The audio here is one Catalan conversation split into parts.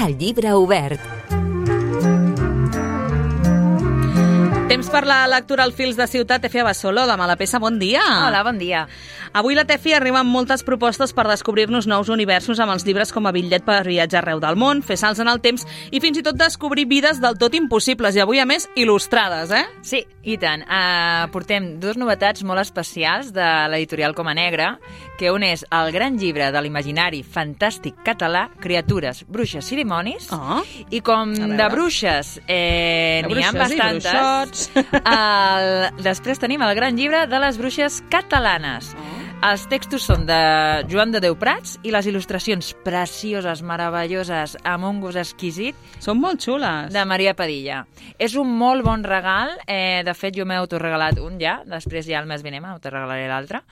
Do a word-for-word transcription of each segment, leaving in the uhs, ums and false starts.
El llibre obert. Temps per la lectura al Fils de Ciutat. Tefi Abasolo, de Malapesa, bon dia. Hola, bon dia. Avui la Tefi arriba amb moltes propostes per descobrir-nos nous universos amb els llibres com a bitllet per viatjar arreu del món, fer salts en el temps i fins i tot descobrir vides del tot impossibles i avui, a més, il·lustrades, eh? Sí, i tant. Uh, portem dues novetats molt especials de l'editorial Coma Negra, que un és el gran llibre de l'imaginari fantàstic català, Criatures, bruixes i dimonis, Oh. i com de bruixes eh, n'hi ha bastantes, el, després tenim el gran llibre de les bruixes catalanes. Oh. Els textos són de Joan de Déu Prats i les il·lustracions precioses, meravelloses, amb un gust exquisit. Són molt xules. De Maria Padilla. És un molt bon regal. Eh, de fet, jo m'he autoregalat un ja, després ja el mes vinent m'autoregalaré l'altre,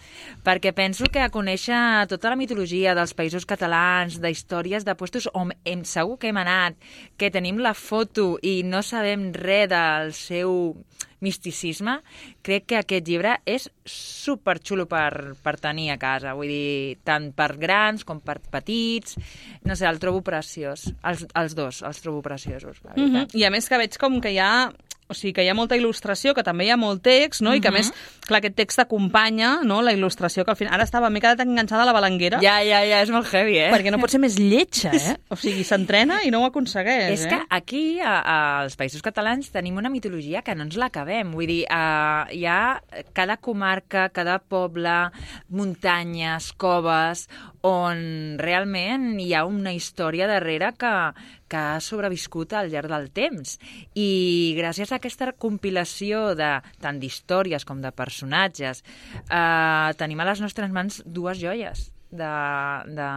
perquè penso que a conèixer tota la mitologia dels països catalans, d'històries de puestos on hem, segur que hem anat, que tenim la foto i no sabem res del seu misticisme, crec que aquest llibre és superxulo per, per tenir a casa, vull dir, tant per grans com per petits, no sé, el trobo preciós, els, els dos els trobo preciosos, la veritat. Mm-hmm. I a més que veig com que hi ha, o sigui, que hi ha molta il·lustració, que també hi ha molt text, no? Mm-hmm. I que a més, clar, aquest text acompanya, no?, la il·lustració, que al final, ara estava, m'he quedat enganxada a la balanguera. Ja, ja, ja, és molt heavy, eh? Perquè no pot ser més lletja, eh? O sigui, s'entrena i no ho aconsegueix, És eh? que aquí, a, als Països Catalans, tenim una mitologia que no ens l'acabem. Vull dir, uh, hi ha cada comarca, cada poble, muntanyes, coves, on realment hi ha una història darrere que, que ha sobreviscut al llarg del temps. I gràcies a aquesta compilació de tant d'històries com de personatges, eh, tenim a les nostres mans dues joies de... de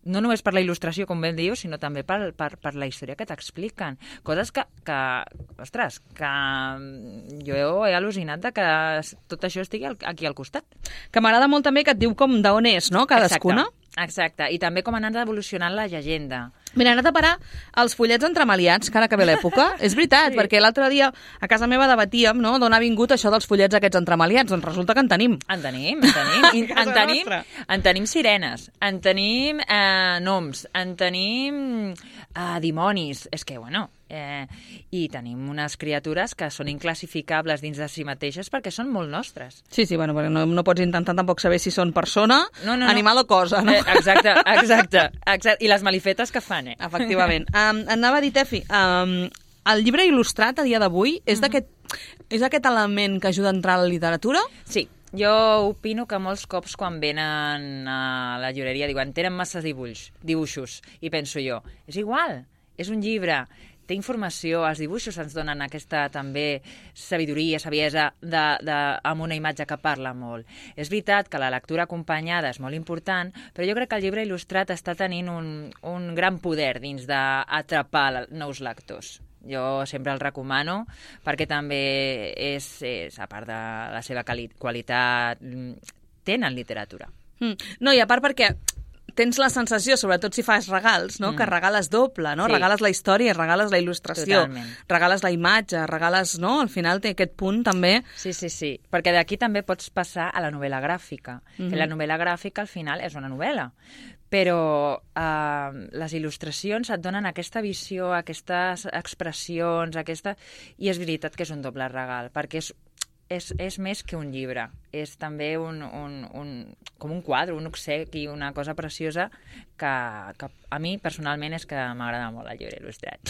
no només per la il·lustració, com ben dius, sinó també per, per, per la història que t'expliquen. Coses que, que, ostres, que jo he al·lucinat de que tot això estigui aquí al costat. Que m'agrada molt també que et diu com d'on és, no?, cadascuna. Exacte. Exacte, i també com han anat evolucionant la llegenda. Mira, he anat a parar els fullets entremaliats, que ara que ve l'època. És veritat, sí. Perquè l'altre dia a casa meva debatíem, no?, d'on ha vingut això dels fullets aquests entremaliats. Doncs resulta que en tenim. En tenim, en tenim. I, en, tenim en tenim sirenes, en tenim eh, noms, en tenim eh, dimonis. És que, bueno... Eh, i tenim unes criatures que són inclassificables dins de si mateixes perquè són molt nostres. Sí, sí, bueno, perquè no, no pots intentar tampoc saber si són persona, no, no, animal no. o cosa, no? Eh, exacte, exacte, exacte. I les malifetes que fan, eh? Efectivament. Um, anava a dir, Tefi, um, el llibre il·lustrat a dia d'avui és d'aquest és aquest element que ajuda a entrar a la literatura? Sí. Jo opino que molts cops quan venen a la llibreria diuen tenen massa dibuix, dibuixos, i penso jo, és igual, és un llibre, té informació, els dibuixos ens donen aquesta també sabidoria, saviesa de, de, amb una imatge que parla molt. És veritat que la lectura acompanyada és molt important, però jo crec que el llibre il·lustrat està tenint un, un gran poder dins d'atrapar nous lectors. Jo sempre el recomano perquè també és, és a part de la seva qualitat, tenen literatura. Mm. No, i a part perquè tens la sensació, sobretot si fas regals, no?, mm. que regales doble, no? Sí. Regales la història, regales la il·lustració, totalment. Regales la imatge, regales, no? Al final té aquest punt també... Sí, sí, sí, perquè d'aquí també pots passar a la novel·la gràfica, mm-hmm. que la novel·la gràfica al final és una novel·la, però eh, les il·lustracions et donen aquesta visió, aquestes expressions, aquesta... i és veritat que és un doble regal, perquè és És, és més que un llibre, és també un, un, un, com un quadre, un obsequi, una cosa preciosa que, que a mi personalment és que m'agrada molt el llibre il·lustrat.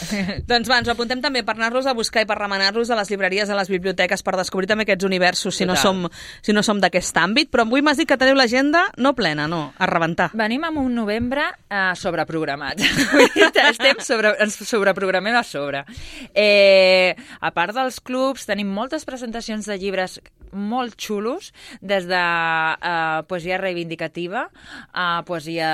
Doncs va, ens ho apuntem també per anar-los a buscar i per remenar-los a les llibreries, a les biblioteques, per descobrir també aquests universos, si no som, si no som d'aquest àmbit. Però avui m'has dit que teniu l'agenda no plena, no, a rebentar. Venim amb un novembre eh, sobreprogramat. Estem sobre, ens sobreprogramem a sobre. Eh, a part dels clubs, tenim moltes presentacions de llibres llibres molt xulos, des de uh, poesia reivindicativa a poesia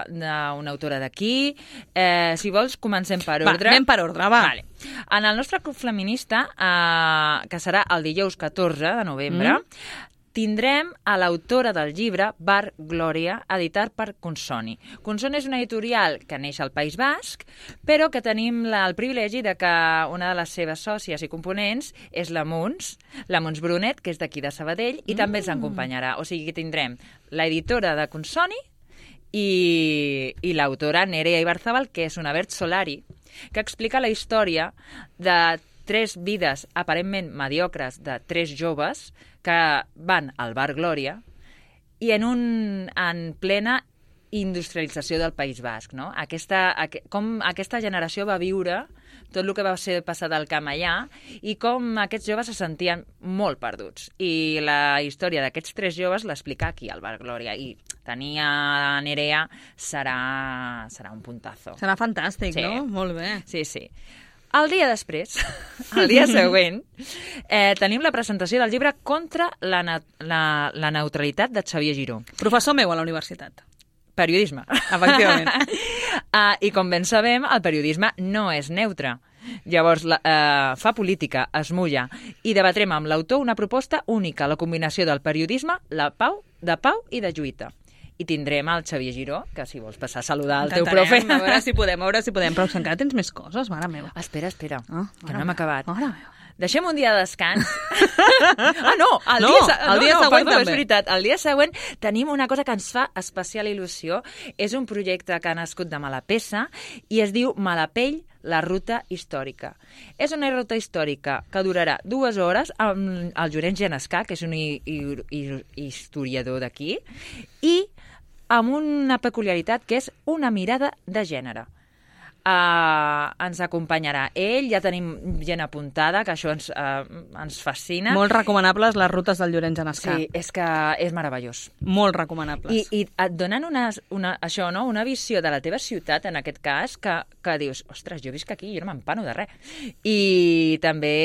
d'una autora d'aquí. Eh, si vols, comencem per ordre. Va, anem per ordre, va. Vale. En el nostre club feminista, uh, que serà el dijous catorze de novembre, mm. tindrem a l'autora del llibre Bar Glòria, editat per Consoni. Consoni és una editorial que neix al País Basc, però que tenim la, el privilegi de que una de les seves sòcies i components és la Muns, la Muns Brunet, que és d'aquí de Sabadell, i mm. també ens acompanyarà. O sigui que tindrem l'editora de Consoni i, i l'autora Nerea Ibarzabal, que és una Vert Solari, que explica la història de tres vides aparentment mediocres de tres joves que van al Bar Glòria i en, un, en plena industrialització del País Basc, no? Aquesta, aqu com aquesta generació va viure tot el que va ser passat al camp allà i com aquests joves se sentien molt perduts. I la història d'aquests tres joves l'explica aquí al Bar Glòria i tenir a Nerea serà, serà un puntazo. Serà fantàstic, sí. No? Molt bé. Sí, sí. El dia després, el dia següent, eh, tenim la presentació del llibre Contra la, la, la neutralitat de Xavier Giró. Professor meu a la universitat. Periodisme. Efectivament. uh, I com ben sabem, el periodisme no és neutre. Llavors, la, uh, fa política, es mulla, i debatrem amb l'autor una proposta única, la combinació del periodisme, la pau, de pau i de lluita. I tindrem el Xavier Giró, que si vols passar a saludar el teu profe... A veure si podem, a veure si podem. Però encara tens més coses, mare meva. Espera, espera, ah, que no hem acabat. Mare meva. Deixem un dia de descans. ah, no, el no, dia, el dia no, no, següent perdó, també. És veritat. El dia següent tenim una cosa que ens fa especial il·lusió. És un projecte que ha nascut de Malapessa i es diu Malapell, la ruta històrica. És una ruta històrica que durarà dues hores amb el Llorenç Genescà, que és un hi hi hi historiador d'aquí, i amb una peculiaritat que és una mirada de gènere. Uh, ens acompanyarà ell, ja tenim gent apuntada, que això ens, uh, ens fascina. Molt recomanables les rutes del Llorenç Genescà. Sí, és que és meravellós. Molt recomanables. I, i et donen una, una, això, no? Una visió de la teva ciutat, en aquest cas, que, que dius, ostres, jo visc aquí, jo no m'empano de res. I també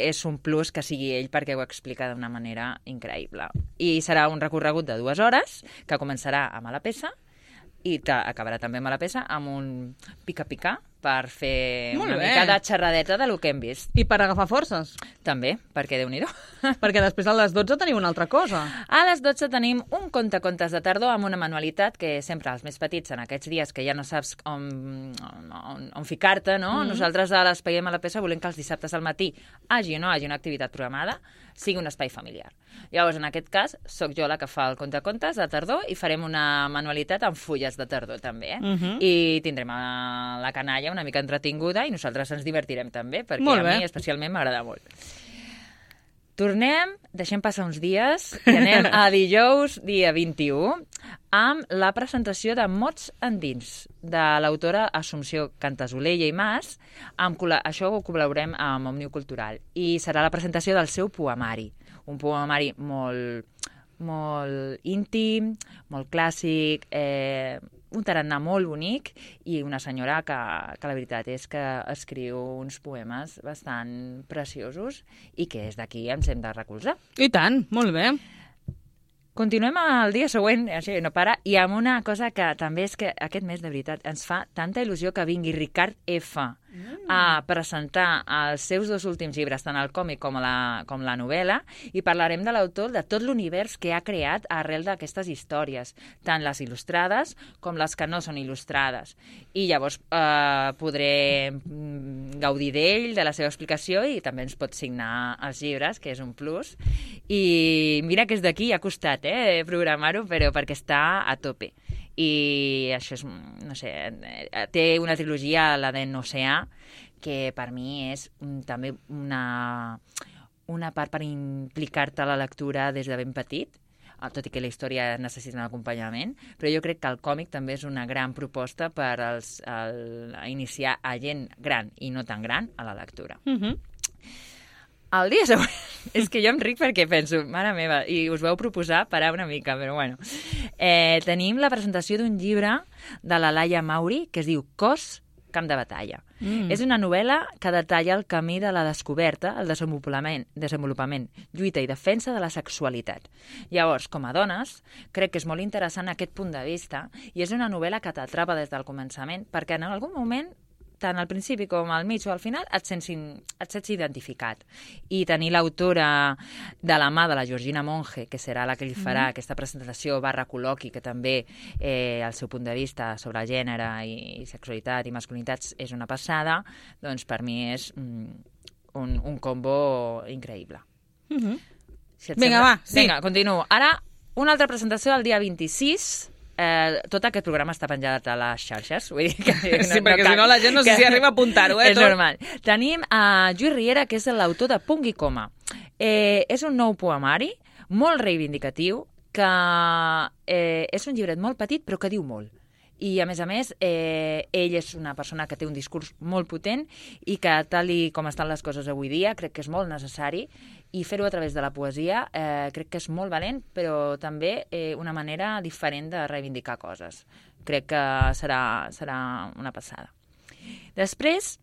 és un plus que sigui ell, perquè ho explica d'una manera increïble. I serà un recorregut de dues hores, que començarà a Malapessa, i acabarà també a Malapessa amb un pica-pica per fer Molt una bé. mica de xerradeta de lo que hem vist. I per agafar forces. També, perquè Déu-n'hi-do. Perquè després a les dotze tenim una altra cosa. A les dotze tenim un conte-contes de tardor amb una manualitat que sempre els més petits en aquests dies que ja no saps on, on, on ficar-te, no? Mm-hmm. Nosaltres a l'Espai de Malapessa volem que els dissabtes al matí hagi o no hagi una activitat programada, sigui un espai familiar. Llavors, en aquest cas, sóc jo la que fa el conte-contes de tardor i farem una manualitat amb fulles de tardor, també. Eh? Mm-hmm. I tindrem a la canalla una mica entretinguda i nosaltres ens divertirem també, perquè molt a bé. mi especialment m'agrada molt. Tornem, deixem passar uns dies i anem a dijous, dia vint-i-u, amb la presentació de Mots Endins, de l'autora Assumpció Cantasolella i Mas. Amb, això ho col·laborem amb Òmnium Cultural. I serà la presentació del seu poemari. Un poemari molt, molt íntim, molt clàssic, eh, un tarannà molt bonic i una senyora que, que la veritat és que escriu uns poemes bastant preciosos i que és d'aquí ens hem de recolzar. I tant, molt bé. Continuem el dia següent, així no para, i amb una cosa que també és que aquest mes, de veritat, ens fa tanta il·lusió que vingui Ricard F. Mm. a presentar els seus dos últims llibres, tant el còmic com la, com la novel·la, i parlarem de l'autor, de tot l'univers que ha creat arrel d'aquestes històries, tant les il·lustrades com les que no són il·lustrades. I llavors eh, podrem gaudir d'ell, de la seva explicació, i també ens pot signar els llibres, que és un plus. I mira que és d'aquí, ha costat eh, programar-ho, però perquè està a tope. I això és, no sé, té una trilogia, la d'en Oceà, que per mi és un, també una, una part per implicar-te a la lectura des de ben petit, tot i que la història necessita un acompanyament, però jo crec que el còmic també és una gran proposta per als, el, iniciar a gent gran i no tan gran a la lectura. Mhm. El dia següent, és que jo em ric perquè penso, mare meva, i us vau proposar parar una mica, però bueno. Eh, tenim la presentació d'un llibre de la Laia Mauri que es diu Cos, camp de batalla. Mm. És una novel·la que detalla el camí de la descoberta, el desenvolupament, desenvolupament, lluita i defensa de la sexualitat. Llavors, com a dones, crec que és molt interessant aquest punt de vista i és una novel·la que t'atrapa des del començament perquè en algun moment tant al principi com al mig o al final, et sents, et sents identificat. I tenir l'autora de la mà de la Georgina Monge, que serà la que li farà mm. aquesta presentació barra col·loqui, que també eh, el seu punt de vista sobre gènere i, i sexualitat i masculinitats és una passada, doncs per mi és mm, un, un combo increïble. Mm-hmm. Si Vinga, sembla... va, sí. Vinga, continuo. Ara, una altra presentació del dia vint-i-sis, eh, tot aquest programa està penjat a les xarxes. Vull dir que no, sí, perquè no si no la gent no sé si arriba a apuntar-ho, eh? És tot. Normal. Tenim a Lluís Riera, que és l'autor de Punt i Coma. Eh, és un nou poemari, molt reivindicatiu, que eh, és un llibret molt petit, però que diu molt. I, a més a més, eh, ell és una persona que té un discurs molt potent i que, tal i com estan les coses avui dia, crec que és molt necessari, i fer-ho a través de la poesia eh, crec que és molt valent, però també eh, una manera diferent de reivindicar coses. Crec que serà, serà una passada. Després,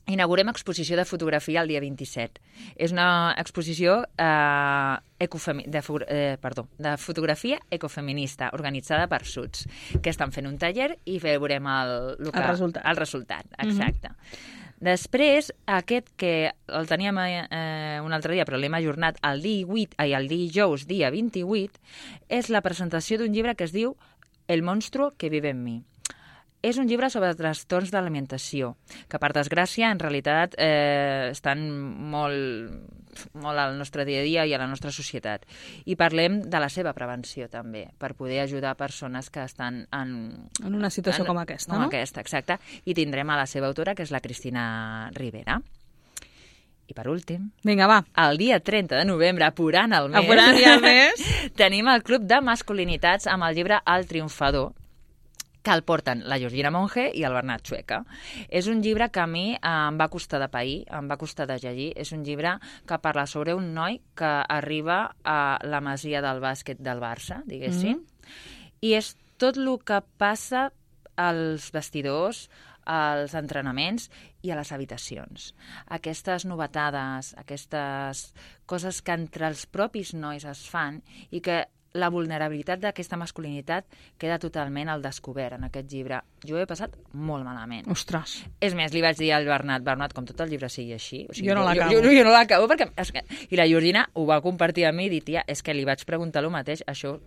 inaugurem exposició de fotografia el dia vint-i-set. És una exposició eh, ecofemi de, eh, perdó, de fotografia ecofeminista organitzada per Suts, que estan fent un taller i veurem el, el, que, el resultat. El resultat, exacte. Mm-hmm. Després, aquest que el teníem eh, un altre dia, però l'hem ajornat el divuit, ai, el dijous, dia vint-i-vuit, és la presentació d'un llibre que es diu El monstruo que vive en mi. És un llibre sobre trastorns d'alimentació, que per desgràcia en realitat eh, estan molt, molt al nostre dia a dia i a la nostra societat. I parlem de la seva prevenció també, per poder ajudar persones que estan en... En una situació en, com aquesta, com no? Com aquesta, exacte. I tindrem a la seva autora, que és la Cristina Rivera. I per últim, vinga, va. El dia trenta de novembre, apurant el mes, apurant ja el mes, tenim el Club de Masculinitats amb el llibre El Triomfador, que el porten la Georgina Monge i el Bernat Chueca. És un llibre que a mi eh, em va costar de pair, em va costar de llegir. És un llibre que parla sobre un noi que arriba a la masia del bàsquet del Barça, diguéssim, mm. i és tot el que passa als vestidors, als entrenaments i a les habitacions. Aquestes novetades, aquestes coses que entre els propis nois es fan i que la vulnerabilitat d'aquesta masculinitat queda totalment al descobert en aquest llibre. Jo he passat molt malament. Ostres. És més, li vaig dir al Bernat, Bernat, com tot el llibre sigui així... O sigui, jo no l'acabo. Jo, jo, jo no l'acabo perquè... I la Georgina ho va compartir amb mi i dir, tia, és que li vaig preguntar el mateix, això...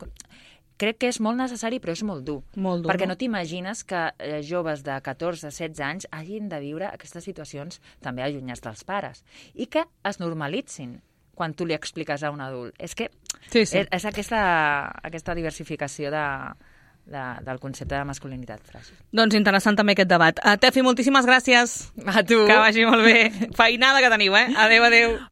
Crec que és molt necessari, però és molt dur. Molt dur, perquè no, no t'imagines que eh, joves de catorze a setze anys hagin de viure aquestes situacions també allunyats dels pares i que es normalitzin quan tu li expliques a un adult. És que sí, sí. és, és aquesta, aquesta diversificació de, de, del concepte de masculinitat fràgil. Doncs interessant també aquest debat. Uh, Tefi, moltíssimes gràcies. A tu. Que vagi molt bé. Feinada que teniu, eh? Adéu, adéu.